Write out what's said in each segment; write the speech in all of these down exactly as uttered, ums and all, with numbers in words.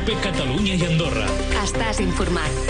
COPE Catalunya i Andorra. Estàs informat.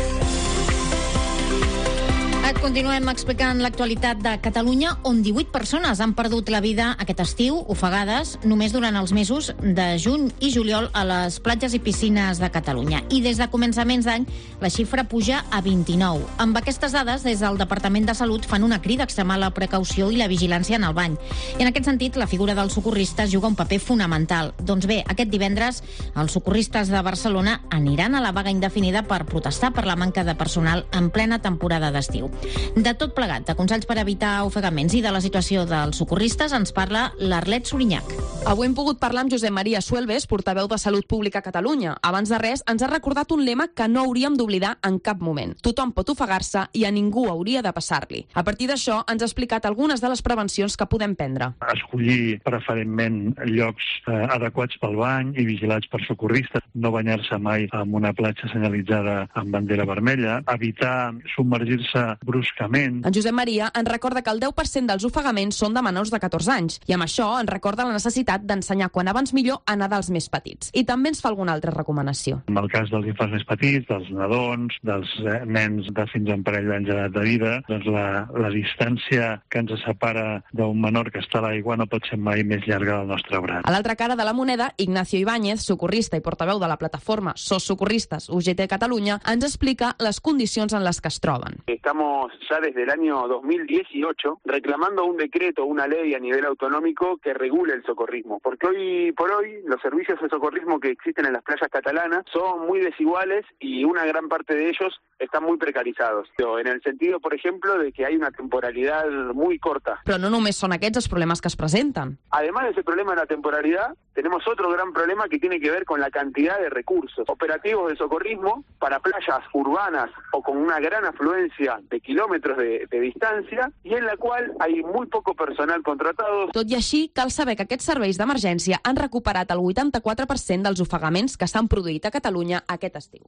Et continuem explicant l'actualitat de Catalunya, on divuit persones han perdut la vida aquest estiu, ofegades, només durant els mesos de juny i juliol a les platges i piscines de Catalunya. I des de començaments d'any, la xifra puja a vint-i-nou. Amb aquestes dades, des del Departament de Salut fan una crida a extremar la precaució i la vigilància en el bany. I en aquest sentit, la figura dels socorristes juga un paper fonamental. Doncs bé, aquest divendres, els socorristes de Barcelona aniran a la vaga indefinida per protestar per la manca de personal en plena temporada d'estiu. De tot plegat, de consells per evitar ofegaments i de la situació dels socorristes, ens parla l'Arlet Sorinyac. Avui hem pogut parlar amb Josep Maria Suelves, portaveu de Salut Pública a Catalunya. Abans de res, ens ha recordat un lema que no hauríem d'oblidar en cap moment. Tothom pot ofegar-se i a ningú hauria de passar-li. A partir d'això, ens ha explicat algunes de les prevencions que podem prendre. Escollir preferentment llocs eh, adequats pel bany i vigilats per socorristes. No banyar-se mai en una platja senyalitzada amb bandera vermella. Evitar submergir-se bruscament. En Josep Maria ens recorda que el deu per cent dels ofegaments són de menors de catorze anys i amb això ens recorda la necessitat d'ensenyar quan abans millor a nedar els més petits. I també ens fa alguna altra recomanació. En el cas dels infants més petits, dels nadons, dels eh, nens de fins a un parell d'anys d'edat de vida, doncs la, la distància que ens separa d'un menor que està a l'aigua no pot ser mai més llarga del nostre braç. A l'altra cara de la moneda, Ignacio Ibáñez, socorrista i portaveu de la plataforma SOS Socorristes U G T Catalunya, ens explica les condicions en les que es troben. Estamos ya desde el año dos mil dieciocho reclamando un decreto, una ley a nivel autonómico que regule el socorrismo, porque hoy por hoy los servicios de socorrismo que existen en las playas catalanas son muy desiguales y una gran parte de ellos están muy precarizados. En el sentido, por ejemplo, de que hay una temporalidad muy corta. Però no només són aquests els problemes que es presenten. Además de ese problema de la temporalidad, tenemos otro gran problema que tiene que ver con la cantidad de recursos operativos de socorrismo para playas urbanas o con una gran afluencia de kilómetros de, de distancia y en la cual hay muy poco personal contratado. Tot i així, cal saber que aquests serveis d'emergència han recuperat el vuitanta-quatre per cent dels ofegaments que s'han produït a Catalunya aquest estiu.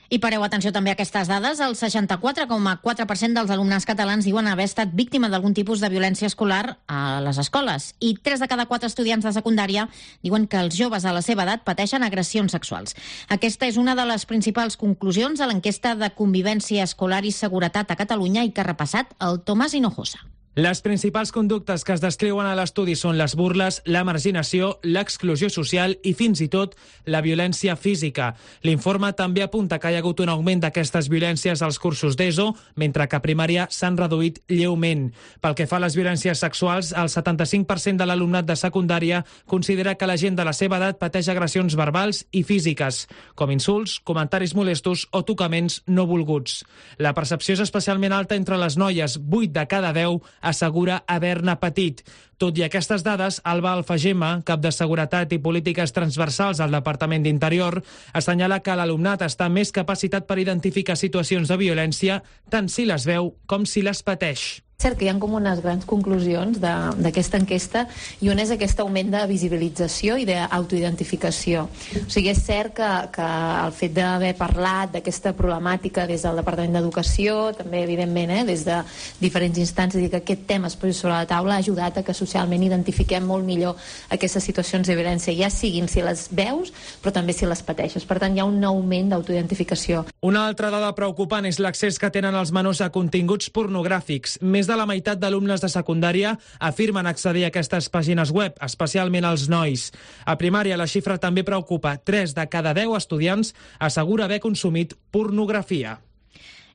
I pareu atenció també a aquestes dades. El seixanta-quatre coma quatre per cent dels alumnes catalans diuen haver estat víctima d'algun tipus de violència escolar a les escoles. I tres de cada quatre estudiants de secundària diuen que els joves a la seva edat pateixen agressions sexuals. Aquesta és una de les principals conclusions a l'enquesta de convivència escolar i seguretat a Catalunya i que ha repassat el Tomàs Hinojosa. Les principals conductes que es descriuen a l'estudi són les burles, la marginació, l'exclusió social i fins i tot la violència física. L'informe també apunta que hi ha hagut un augment d'aquestes violències als cursos d'ESO, mentre que a primària s'han reduït lleument. Pel que fa a les violències sexuals, el setanta-cinc per cent de l'alumnat de secundària considera que la gent de la seva edat pateix agressions verbals i físiques, com insults, comentaris molestos o tocaments no volguts. La percepció és especialment alta entre les noies, vuit de cada deu assegura haver-ne patit. Tot i aquestes dades, Alba Alfagema, cap de Seguretat i Polítiques Transversals al Departament d'Interior, assenyala que l'alumnat està més capacitat per identificar situacions de violència tant si les veu com si les pateix. És cert que hi ha com unes grans conclusions d'aquesta enquesta i una és aquest augment de visibilització i d'autoidentificació. O sigui, és cert que, que el fet d'haver parlat d'aquesta problemàtica des del Departament d'Educació, també evidentment eh, des de diferents instàncies i que aquest tema es posi sobre la taula ha ajudat a que socialment identifiquem molt millor aquestes situacions de violència, ja siguin si les veus però també si les pateixes. Per tant, hi ha un augment d'autoidentificació. Una altra dada preocupant és l'accés que tenen els menors a continguts pornogràfics. Més de la meitat d'alumnes de secundària afirmen accedir a aquestes pàgines web, especialment els nois. A primària la xifra també preocupa. tres de cada deu estudiants assegura haver consumit pornografia.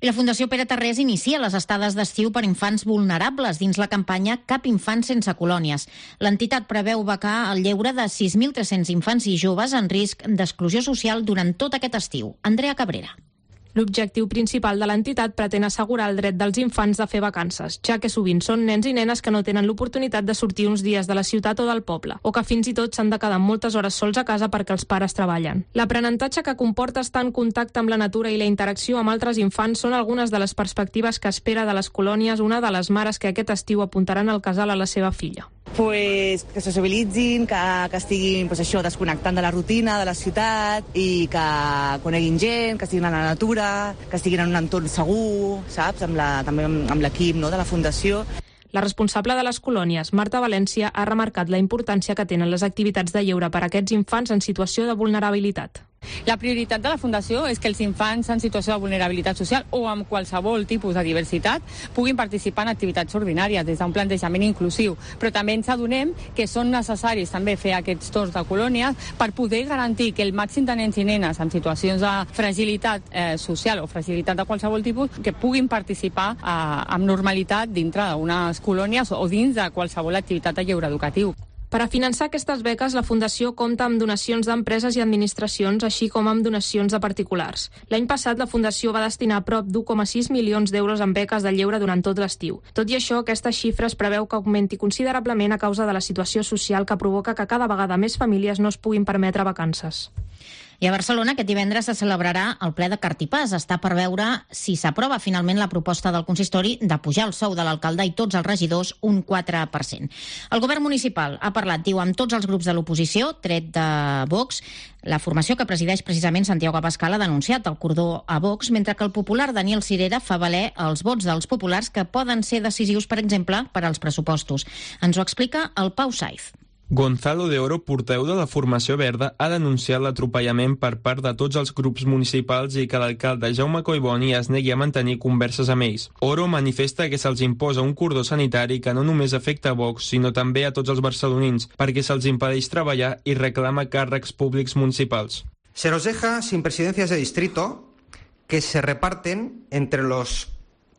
I la Fundació Pere Tarrés inicia les estades d'estiu per infants vulnerables dins la campanya Cap infant sense colònies. L'entitat preveu becar el lleure de sis mil tres-cents infants i joves en risc d'exclusió social durant tot aquest estiu. Andrea Cabrera. L'objectiu principal de l'entitat pretén assegurar el dret dels infants de fer vacances, ja que sovint són nens i nenes que no tenen l'oportunitat de sortir uns dies de la ciutat o del poble, o que fins i tot s'han de quedar moltes hores sols a casa perquè els pares treballen. L'aprenentatge que comporta estar en contacte amb la natura i la interacció amb altres infants són algunes de les perspectives que espera de les colònies una de les mares que aquest estiu apuntaran al casal a la seva filla. Pues, que socialitzin, que, que estiguin pues, això, desconnectant de la rutina, de la ciutat, i que coneguin gent, que estiguin a la natura, que estiguin en un entorn segur, saps? Amb la, també amb l'equip no, de la Fundació. La responsable de les colònies, Marta València, ha remarcat la importància que tenen les activitats de lleure per a aquests infants en situació de vulnerabilitat. La prioritat de la Fundació és que els infants en situació de vulnerabilitat social o amb qualsevol tipus de diversitat puguin participar en activitats ordinàries des d'un plantejament inclusiu, però també ens adonem que són necessaris també fer aquests torns de colònies per poder garantir que el màxim de nens i nenes en situacions de fragilitat eh, social o fragilitat de qualsevol tipus que puguin participar eh, amb normalitat dintre d'unes colònies o dins de qualsevol activitat de lleure educatiu. Per a finançar aquestes beques, la Fundació compta amb donacions d'empreses i administracions, així com amb donacions de particulars. L'any passat, la Fundació va destinar prop d'u coma sis milions d'euros en beques de lleure durant tot l'estiu. Tot i això, aquesta xifra es preveu que augmenti considerablement a causa de la situació social que provoca que cada vegada més famílies no es puguin permetre vacances. I a Barcelona aquest divendres se celebrarà el ple de Cartipàs. Està per veure si s'aprova finalment la proposta del consistori de pujar el sou de l'alcalde i tots els regidors un quatre per cent. El govern municipal ha parlat, diu, amb tots els grups de l'oposició, tret de Vox. La formació que presideix precisament Santiago Abascal ha denunciat el cordó a Vox, mentre que el popular Daniel Sirera fa valer els vots dels populars que poden ser decisius, per exemple, per als pressupostos. Ens ho explica el Pau Saiz. Gonzalo de Oro, portaveu de la formació verda, ha denunciat l'atropellament per part de tots els grups municipals i que l'alcalde Jaume Collboni es negui a mantenir converses amb ells. Oro manifesta que se'ls imposa un cordó sanitari que no només afecta a Vox, sinó també a tots els barcelonins, perquè se'ls impedeix treballar i reclama càrrecs públics municipals. Se nos deja sin presidencias de distrito que se reparten entre los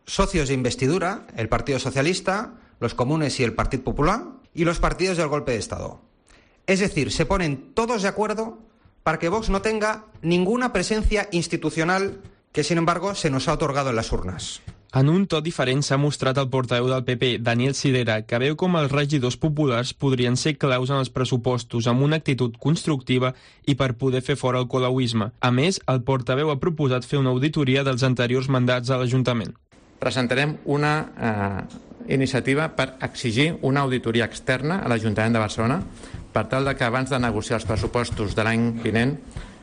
socios de investidura, el Partido Socialista, los comunes y el Partido Popular, y los partidos del golpe de Estado. Es decir, se ponen todos de acuerdo para que Vox no tenga ninguna presencia institucional que, sin embargo, se nos ha otorgado en las urnas. En un to diferent s'ha mostrat el portaveu del P P, Daniel Sirera, que veu com els regidors populars podrien ser claus en els pressupostos amb una actitud constructiva i per poder fer fora el colauisme. A més, el portaveu ha proposat fer una auditoria dels anteriors mandats a l'Ajuntament. Presentarem una eh, iniciativa per exigir una auditoria externa a l'Ajuntament de Barcelona per tal de que abans de negociar els pressupostos de l'any vinent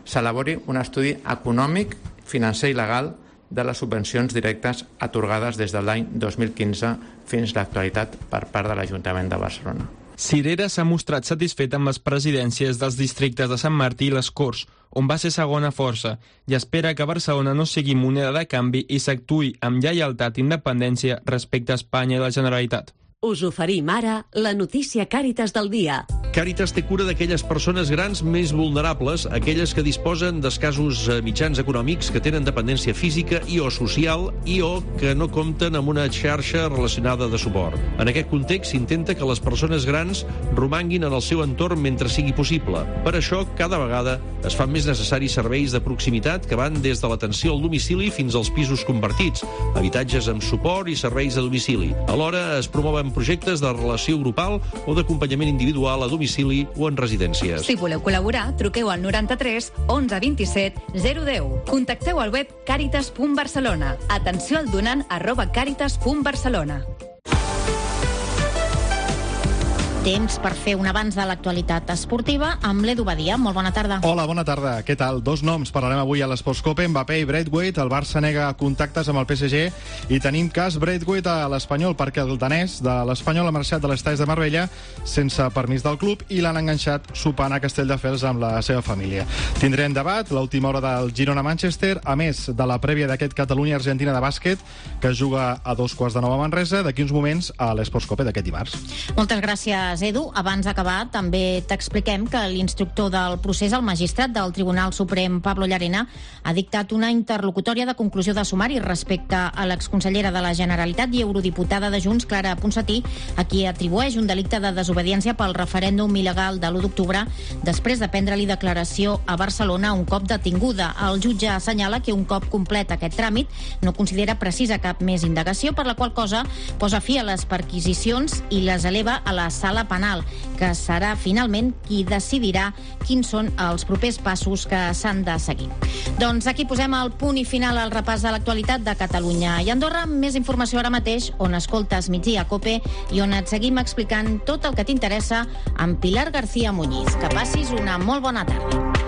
s'elabori un estudi econòmic, financer i legal de les subvencions directes atorgades des de l'any dos mil quinze fins a l'actualitat per part de l'Ajuntament de Barcelona. Sirera s'ha mostrat satisfet amb les presidències dels districtes de Sant Martí i les Corts, on va ser segona força, i espera que Barcelona no sigui moneda de canvi i s'actuï amb lleialtat i independència respecte a Espanya i la Generalitat. Us oferim ara la notícia Càritas del dia. Càritas té cura d'aquelles persones grans més vulnerables, aquelles que disposen d'escassos mitjans econòmics, que tenen dependència física i o social i o que no compten amb una xarxa relacionada de suport. En aquest context s'intenta que les persones grans romanguin en el seu entorn mentre sigui possible. Per això, cada vegada es fan més necessaris serveis de proximitat que van des de l'atenció al domicili fins als pisos compartits, habitatges amb suport i serveis a domicili. Alhora es promouen projectes de relació grupal o d'acompanyament individual a domicili o en residències. Si voleu col·laborar, truqueu al noranta-tres onze vint-i-set zero deu. Contacteu al web càritas punt barcelona. Atenció al donant arroba càritas punt barcelona. Temps per fer un avanç de l'actualitat esportiva amb l'Edu Badia. Molt bona tarda. Hola, bona tarda. Què tal? Dos noms parlarem avui a l'Esportscope, Mbappé i Braithwaite. El Barça nega contactes amb el P S G i tenim cas Braithwaite a l'Espanyol perquè el danès de l'Espanyol ha marxat de l'Estadi de Marbella sense permís del club i l'han enganxat sopant a Castelldefels amb la seva família. Tindrem debat, l'última hora del Girona-Manchester, a més de la prèvia d'aquest Catalunya-Argentina de bàsquet que es juga a dos quarts de nou a Manresa d'aquí uns moments a l'Esportscope d'aquest dimarts. Moltes gràcies, Edu. Abans d'acabar, també t'expliquem que l'instructor del procés, el magistrat del Tribunal Suprem, Pablo Llarena, ha dictat una interlocutòria de conclusió de sumari respecte a l'exconsellera de la Generalitat i eurodiputada de Junts, Clara Ponsatí, a qui atribueix un delicte de desobediència pel referèndum il·legal de l'u d'octubre després de prendre-li declaració a Barcelona un cop detinguda. El jutge assenyala que un cop complet aquest tràmit no considera precisa cap més indagació, per la qual cosa posa fi a les perquisicions i les eleva a la sala penal, que serà finalment qui decidirà quins són els propers passos que s'han de seguir. Doncs aquí posem el punt i final al repàs de l'actualitat de Catalunya i Andorra. Més informació ara mateix, on escoltes Migdia Cope i on et seguim explicant tot el que t'interessa amb Pilar García Muñiz. Que passis una molt bona tarda.